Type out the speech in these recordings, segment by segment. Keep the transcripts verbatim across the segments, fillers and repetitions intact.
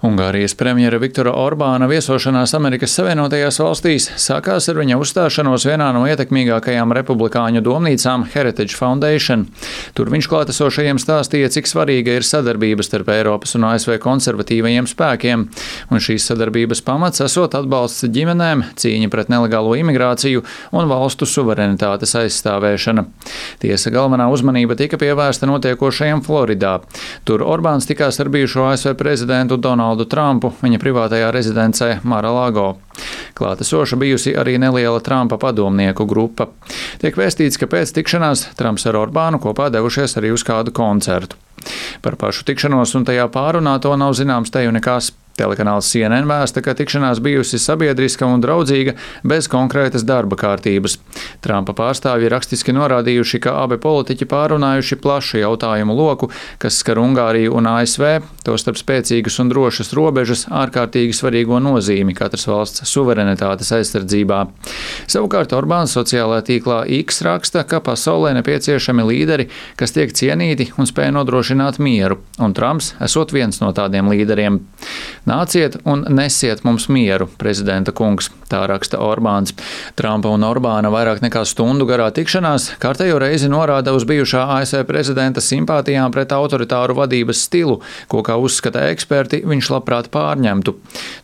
Ungārijas premjera Viktora Orbāna viesošanās Amerikas Savienotajās valstīs sākās ar viņa uzstāšanos vienā no ietekmīgākajām republikāņu domnīcām Heritage Foundation. Tur viņš klātesošajiem stāstīja, cik svarīga ir sadarbība starp Eiropas un A S V konservatīvajiem spēkiem, un šīs sadarbības pamats esot atbalsts ģimenēm, cīņa pret nelegālo imigrāciju un valstu suverenitātes aizstāvēšana. Tiesa, galvenā uzmanība tika pievērsta notiekošajam Floridā. Tur Orbāns tikās ar bijušo A S V prezidentu Donaldu Trumpu viņa privātajā rezidencē Mar-a-Lago. Klātesoša bijusi arī neliela Trumpa padomnieku grupa. Tiek vēstīts, ka pēc tikšanās Trumps ar Orbānu kopā devušies arī uz kādu koncertu. Par pašu tikšanos un tajā pārunāto nav zināms teju nekas. Telekanāls C N N vēsta, ka tikšanās bijusi sabiedriska un draudzīga bez konkrētas darba kārtības. Trumpa pārstāvji rakstiski norādījuši, ka abi politiķi pārunājuši plašu jautājumu loku, kas skar Ungāriju un A S V, tostarp spēcīgas un drošas robežas, ārkārtīgi svarīgo nozīmi katras valsts suverenitātes aizsardzībā. Savukārt Orbāns sociālajā tīklā X raksta, ka pasaulē nepieciešami līderi, kas tiek cienīti un spēj nodrošināt mieru, un Trumps esot viens no tādiem līderiem. Nāciet un nesiet mums mieru, prezidenta kungs, tā raksta Orbāns. Trumpa un Orbāna vairāk nekā stundu garā tikšanās kārtējo reizi norāda uz bijušā A S V prezidenta simpātijām pret autoritāru vadības stilu, ko, kā uzskata eksperti, viņš labprāt pārņemtu.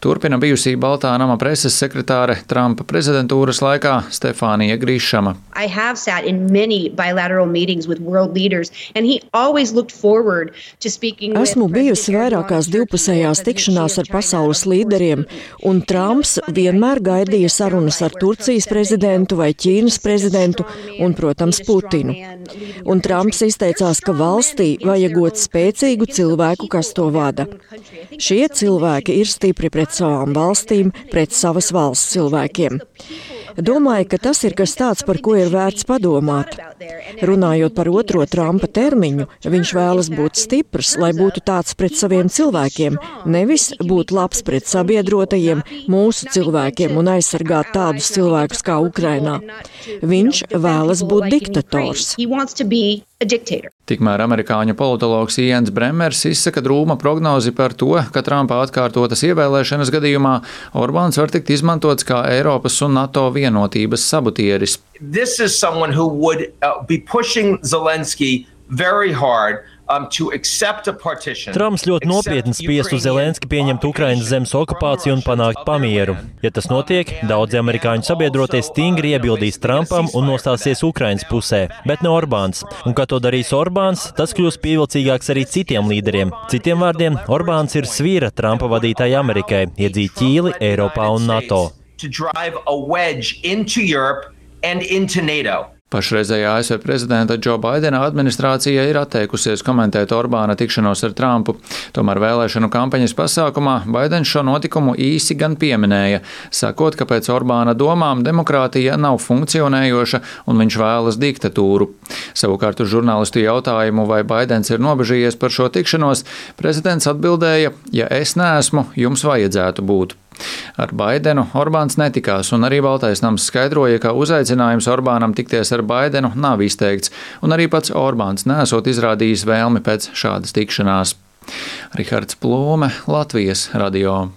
Turpina bijusī Baltā nama preses sekretāre Trumpa prezidentūras laikā Stefānija Grišama. I have sat in many bilateral meetings with world leaders, and he always looked forward to speaking with Esmu bijusi vairākās divpusējās tikšanās ar pasaules līderiem, un Trumps vienmēr gaidīja sarunas ar Turcijas prezidentu vai Ķīnas prezidentu un, protams, Putinu. Un Trumps izteicās, ka valstī vajagot spēcīgu cilvēku, kas to vada. Šie cilvēki ir stipri pret savām valstīm, pret savas valsts cilvēkiem. Domāju, ka tas ir kas tāds, par ko ir vērts padomāt. Runājot par otro Trumpa termiņu, viņš vēlas būt stiprs, lai būtu tāds pret saviem cilvēkiem, nevis būt labs pret sabiedrotajiem, mūsu cilvēkiem un aizsargāt tādus cilvēkus kā Ukrainā. Viņš vēlas būt diktators. Tikmēr amerikāņu politologs Ians Bremers izsaka drūma prognozi par to, ka Trumpa atkārtotas ievēlēšanas gadījumā Orbāns var tikt izmantots kā Eiropas un NATO vienotības sabotieris. This is someone who would uh, be pushing Zelensky very hard. Um, Trumps ļoti nopietni spiestu Zelenski pieņemt Ukrainas zemes okupāciju un panākt pamieru. Ja tas notiek, daudzi amerikāņu sabiedrotie stingri iebildīs Trumpam un nostāsies Ukrainas pusē, bet ne Orbāns. Un, kad to darīs Orbāns, tas kļūs pievilcīgāks arī citiem līderiem. Citiem vārdiem, Orbāns ir svīra Trumpa vadītāja Amerikai, iedzīt ķīli Eiropā un NATO. Pašreizējā A S V prezidenta Džo Baidena administrācija ir atteikusies komentēt Orbāna tikšanos ar Trumpu. Tomēr vēlēšanu kampaņas pasākumā Baidens šo notikumu īsi gan pieminēja, sakot, ka pēc Orbāna domām demokrātija nav funkcionējoša un viņš vēlas diktatūru. Savukārt uz žurnālistu jautājumu, vai Baidens ir nobežījies par šo tikšanos, prezidents atbildēja, ja es neesmu, jums vajadzētu būt. Ar Baidenu Orbāns netikās, un arī Baltais nams skaidroja, ka uzaicinājums Orbānam tikties ar Baidenu nav izteikts, un arī pats Orbāns neesot izrādījis vēlmi pēc šādas tikšanās. Rihards Plūme, Latvijas radio.